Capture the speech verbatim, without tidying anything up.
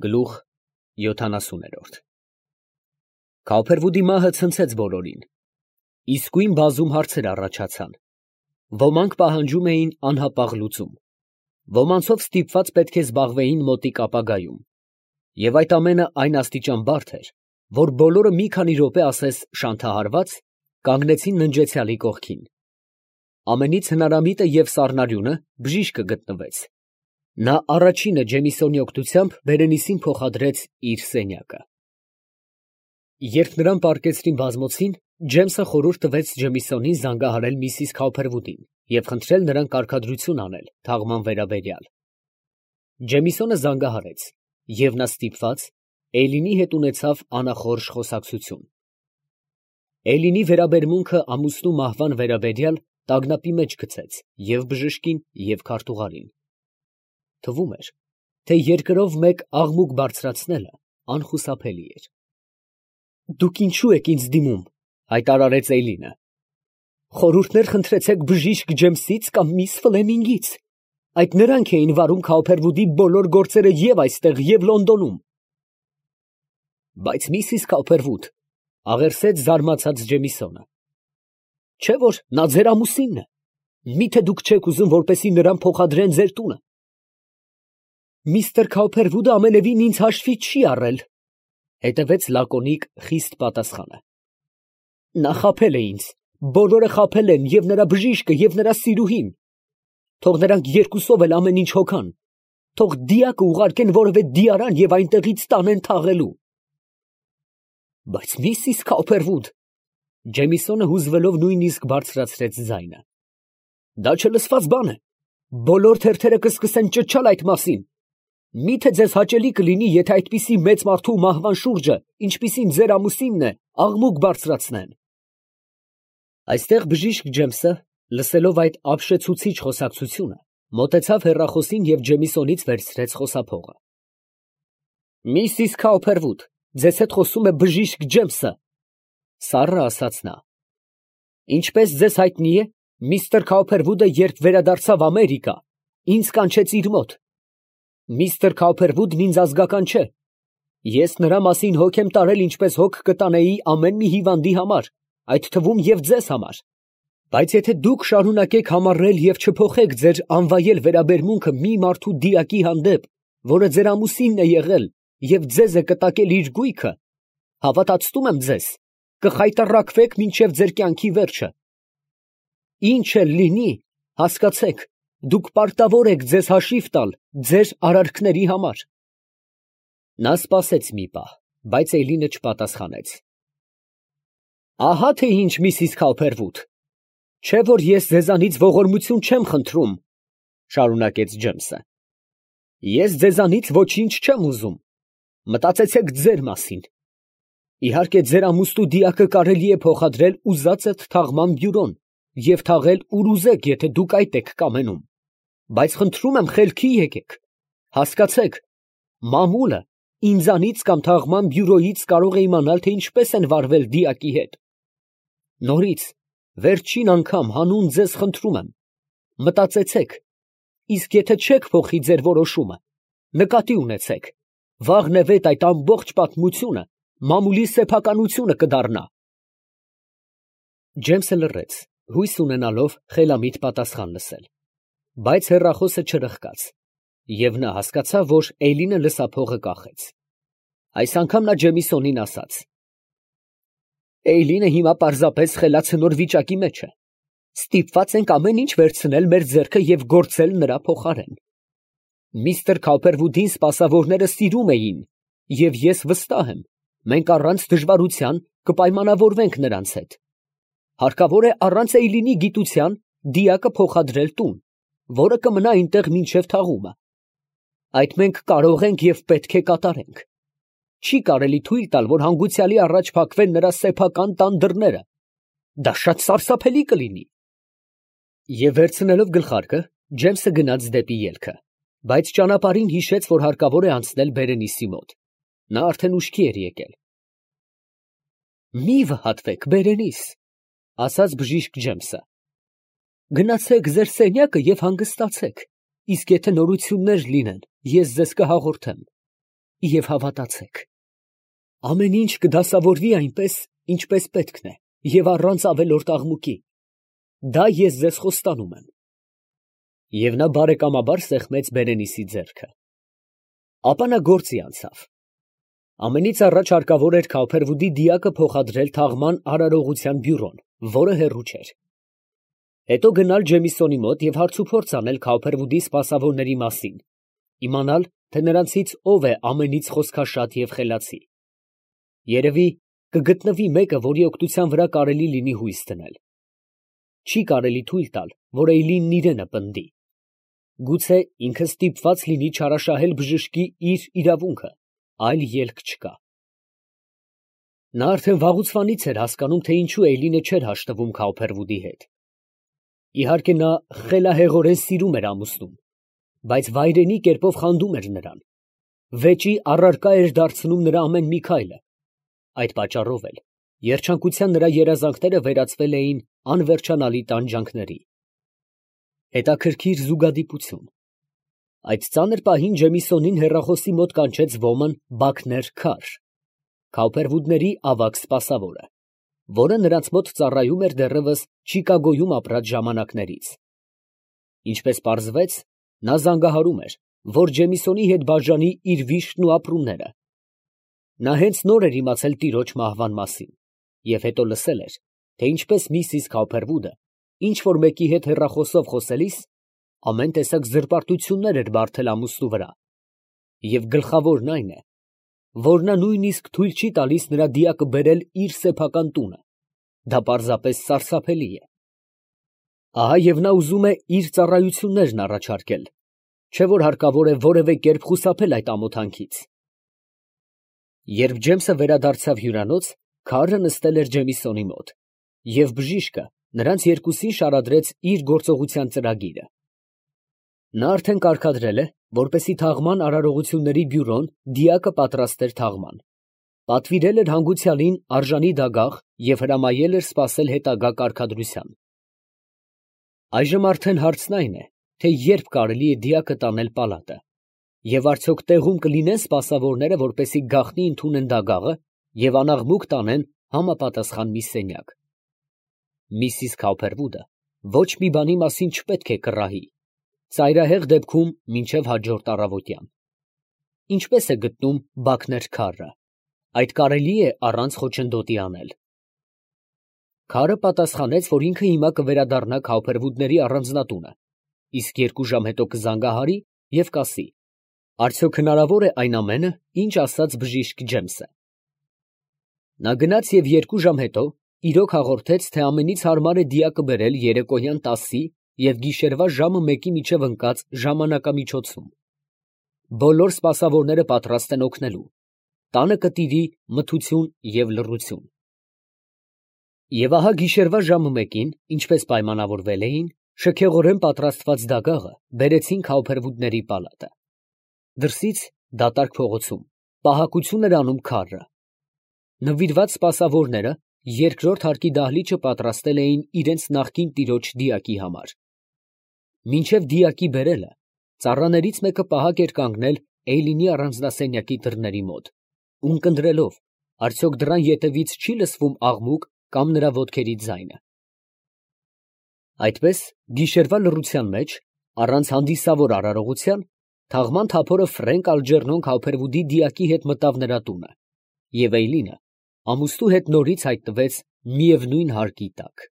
Գլուխ յոթանասուներորդ Քավփերվուդի մահը ցնցեց բոլորին, իսկույն բազում հարցեր առաջացան, ոմանք պահանջում էին անհապաղ լուծում, ոմանցով ստիպված պետք է զբաղվեին մոտիկ ապագայում, և այդ ամենը այն աստիճան բարդ էր, որ բոլորը մի քանի րոպե ասես շանթահարված, կանգնեցին ննջեցյալի կողքին, ամենից հնարամիտը և սառնարյունը բժիշկը գտնվեց. նա առաջինը Ջեմիսոնի օգնությամբ Բերենիսին փոխադրեց իր սենյակը։ Երբ նրան պառկեցրին բազմոցին, Ջեմսը խորհուրդ տվեց Ջեմիսոնին զանգահարել միսիս Քավփերվուդին և խնդրել նրան կարգադրություն անել թաղման վերաբերյալ։ Ջեմիսոնը զանգահարեց, և նա ստիպված Էյլինի հետ ունեցավ անախորժ խոսակցություն։ Էյլինի վերաբերմունքը ամուսնու մահվան վերաբերյալ տագնապի մեջ գցեց և բժշկին, և քարտուղարին։ Թվում էր, թե երկրով մեկ աղմուկ բարձրացնելը անխուսափելի էր։ «Դուք ինչո՞ւ եք ինձ դիմում», ֊ հայտարարեց Էյլինը. «խորհուրդներ խնդրեցեք բժիշկ Ջեմսից կամ միս Ֆլեմինգից. այդ նրանք էին վարում Քավփերվուդի բոլոր գործերը և այստեղ, և Լոնդոնում»։ «Բայց միսիս Քավփերվուդ, ֊ աղերսեց զարմացած Ջեմիսոնը, ֊ չէ՞ որ նա ձեր ամուսինն է, մի՞թե դուք չեք ուզում, որպեսզի նրան փոխադրեն ձեր տունը»։ «Միսթր Քավփերվուդը ամենևին ինձ հաշվի չի առել», ֊ հետևեց լակոնիկ, խիստ պատասխանը։ «Նա խաբել է ինձ, բոլորը խաբել են, և նրա բժիշկը, և նրա սիրուհին. թող նրանք երկուսով էլ ամեն ինչ հոգան, թող դիակը ուղարկեն որևէ դիարան և այնտեղից տանեն թաղելու»։ «Բայց միսիս Քավփերվուդ, ֊ Ջեմիսոնը հուզվելով նույնիսկ բարձրացրեց ձայնը, ֊ դա չլսված բան է, բոլոր թերթերը կսկսեն ճչալ այդ մասին. մի՞թե ձեզ հաճելի կլինի, եթե այդպիսի մեծ մարդու մահվան շուրջը, ինչպիսին ձեր ամուսինն է, աղմուկ բարձրացնեն»։ Այստեղ բժիշկ Ջեմսը, լսելով այդ ապշեցուցիչ խոսակցությունը, մոտեցավ հեռախոսին և Ջեմիսոնից վերցրեց խոսափողը։ «Միսիս Քավփերվուդ, ձեզ հետ խոսում է բժիշկ Ջեմսը, ֊ սառը ասաց նա։ Ինչպես ձեզ հայտնի է, միստր Քավփերվուդը, երբ վերադարձավ Ամերիկա, ինձ կանչեց իր մոտ։ Միստր Քավփերվուդն ինձ ազգական չէ. ես նրա մասին հոգ եմ տարել, ինչպես հոգ կտանեի ամեն մի հիվանդի համար, այդ թվում և ձեզ համար։ Բայց եթե դուք շարունակեք համառել և չփոխեք ձեր անվայել վերաբերմունքը մի մարդու դիակի հանդեպ, որը ձեր ամուսինն է եղել և ձեզ է կտակել իր գույքը, հավատացնում եմ ձեզ, կխայտառակվեք մինչև ձեր կյանքի վերջը։ Ինչ էլ լինի, հասկացեք, դուք պարտավոր եք ձեզ հաշիվ տալ ձեր արարքների համար»։ Նա սպասեց մի պահ, բայց Էյլինը չպատասխանեց։ «Ահա թե ինչ, միսիս Քավփերվուդ, չէ՞ որ ես ձեզանից ողորմություն չեմ խնդրում, ֊ շարունակեց Ջեմսը, ֊ ես ձեզանից ոչինչ չեմ ուզում, մտածեցեք ձեր մասին։ Իհարկե ձեր ամուսնու դիակը կարելի է փոխադրել ուզածդ թաղման բյուրոն և թաղել ուր ուզեք, եթե դուք այդ եք կամենում, բայց խնդրում եմ խելքի եկեք, հասկացեք, մամուլը ինձանից կամ թաղման բյուրոյից կարող է իմանալ, թե ինչպես են վարվել դիակի հետ։ Նորից, վերջին անգամ հանուն ձեզ խնդրում եմ, մտածեցեք, իսկ եթե չեք փոխի ձեր որոշումը, նկատի ունեցեք, վաղնևեթ այդ ամբողջ պատմությունը մամուլի սեփականությունը կդառնա»։ Ջեմսը լռեց, հույս ունենալով խելամիտ պատասխան լսել, բայց հեռախոսը չրխկաց, և նա հասկացավ, որ Էյլինը լսափողը կախեց։ Այս անգամ նա Ջեմիսոնին ասաց. «Էյլինը հիմա պարզապես խելացնոր վիճակի մեջ է, ստիպված ենք ամեն ինչ վերցնել մեր ձեռքը և գործել նրա փոխարեն։ Միստր Քավփերվուդին սպասավորները սիրում էին, և ես վստահ եմ, մենք առանց դժվարության կպայմանավորվենք նրանց հետ։ Հարկավոր է առանց Էյլինի գիտության դիակը փոխադրել տուն, որը կմնա այնտեղ մինչև թաղումը։ Այդ մենք կարող ենք և պետք է կատարենք։ Չի կարելի թույլ տալ, որ հանգուցյալի առաջ փակվեն նրա սեփական տան դռները, դա շատ սարսափելի կլինի»։ Եվ վերցնելով գլխարկը, Ջեմսը գնաց դեպի ելքը, բայց ճանապարհին հիշեց, որ հարկավոր է անցնել Բերենիսի մոտ. նա արդեն ուշքի էր եկել։ «Մի վհատվեք, Բերենիս, ֊ ասաց բժիշկ Ջեմսը, ֊ գնացեք ձեր սենյակը և հանգստացեք, իսկ եթե նորություններ լինեն, ես ձեզ կհաղորդեմ։ և հավատացեք։ Ամեն ինչ կդասավորվի այնպես, ինչպես պետքն է, և առանց ավելորդ աղմուկի։ Դա ես ձեզ խոստանում եմ։ Եվ նա բարեկամաբար սեղմեց Բերենիսի ձեռքը։ Ապա նա գործի անցավ։ Ամենից առաջ հարկավոր էր Քավփերվուդի դիակը փոխադրել թաղման արարողության բյուրոն, որը հեռու չէր։ Հետո գնալ Ջեմիսոնի մոտ և հարցուփորձ անել Քավփերվուդի սպասավորների մասին, իմանալ, թե նրանցից ով է ամենից խոսքաշատ և խելացի։ Երևի կգտնվի մեկը, որի օգնության վրա կարելի լինի հույս դնել։ Չի կարելի թույլ տալ, որ Էյլինն իրենը պնդի։ Գուցե ինքը ստիպված լինի չարաշահել բժշկի իր իրավունքը, այլ ելք չկա։ Նա արդեն վաղուցվանից էր հասկանում, թե ինչու Էյլինը չէր հաշտվում Քավփերվուդի հետ։ Իհարկե նա խելահեղորեն սիրում էր ամուսնուն, բայց վայրենի կերպով խանդում էր նրան, վեճի առարկա էր դարձնում նրա ամեն մի քայլը։ Այդ պատճառով էլ երջանկության նրա երազանքները վերածվել էին անվերջանալի տանջանքների։ Հետաքրքիր զուգադիպություն։ Այդ ծանր պահին Ջեմիսոնին հեռախոսի մոտ կանչեց ոմն Բաքներ Քար, Քավփերվուդների ավագ սպասավորը, որը նրանց մոտ ծառայում էր դեռևս Չիկագոյում ապրած ժամանակներից։ Ինչպես պարզվեց, նա զանգահարում էր, որ Ջեմիսոնի հետ բաժանի իր վիշտն ու ապրումները։ Նա հենց նոր էր իմացել տիրոջ մահվան մասին և հետո լսել էր, թե ինչպես միսիս Քավփերվուդը ինչ֊որ մեկի հետ հեռախոսով խոսելիս ամեն տեսակ զրպարտություններ էր բարդել ամուսնու վրա, և գլխավորն այն է, որ նա նույնիսկ թույլ չի տալիս նրա դիակը բերել իր սեփական տունը։ Դա պարզապես սարսափելի է։ Ահա և նա ուզում է իր ծառայություններն առաջարկել, չէ՞ որ հարկավոր է որևէ կերպ խուսափել այդ ամոթանքից։ Երբ Ջեմսը վերադարձավ հյուրանոց, քարը նստել էր Ջեմիսոնի մոտ, և բժիշկը նրանց երկուսին շարադրեց իր գործողության ծրագիրը։ Նա արդեն կարգադրել է, որպեսզի թաղման արարողությունների բյուրոն դիակը պատրաստեր թաղման, պատվիրել էր հանգուցյալին արժանի դագաղ և հրամայել էր սպասել հետագա կարգադրության։ Այժմ արդեն հարցն այն է, թե երբ կարելի է դիակը տանել պալատը, և արդյոք տեղում կլինեն սպասավորները, որպեսզի գաղտնի ընդունեն դագաղը և անաղմուկ տանեն համապատասխան մի սենյակ։ Միսիս Քավփերվուդը ոչ մի բանի մասին չպետք է կռահի, ծայրահեղ դեպքում մինչև հաջորդ առավոտյան։ Ինչպե՞ս է գտնում Բաքներ Քարը։ Այդ կարելի է առանց խոչընդոտի անել։ Քարը պատասխանեց, որ ինքը հիմա կվերադառնա Քավփերվուդների առանձնատունը, իսկ երկու ժամ հետո կզանգահարի և կասի, արդյոք հնարավոր է այն ամենը, ինչ ասաց բժիշկ Ջեմսը։ Նա գնաց և երկու ժամ հետո իրոք հաղորդեց, թե ամենից հարմար է դիակը բերել երեկոյան տասի և գիշերվա ժամը մեկի միջև ընկած ժամանակամիջոցում։ Բոլոր սպասավորները պատրաստ են օգնելու, տանը կտիրի մթություն և լռություն։ Եվ ահա գիշերվա ժամը մեկին, ինչպես պայմանավորվել էին, շքեղորեն պատրաստված դագաղը բերեցին Քավփերվուդների պալատը։ Դրսից դատարկ փողոցում պահակություն էր անում քարը։ Նվիրված սպասավորները երկրորդ հարկի դահլիճը պատրաստել էին իրենց նախկին տիրոջ դիակի համար։ Մինչև դիակի բերելը ծառաներից մեկը պահակ էր կանգնել Էյլինի առանձնասենյակի դռների մոտ, ունկնդրելով, արդյոք դռան ետևից չի լսվում աղմուկ կամ նրա ոտքերի ձայնը։ Այդպես գիշերվա լռության մեջ, առանց հանդիսավոր արարողության, թաղման թափորը Ֆրենկ Ալջերնոն Քավփերվուդի դիակի հետ մտավ նրա տունը, և Էյլինը ամուսնու հետ նորից հայտնվեց միևնույն հարկի տակ։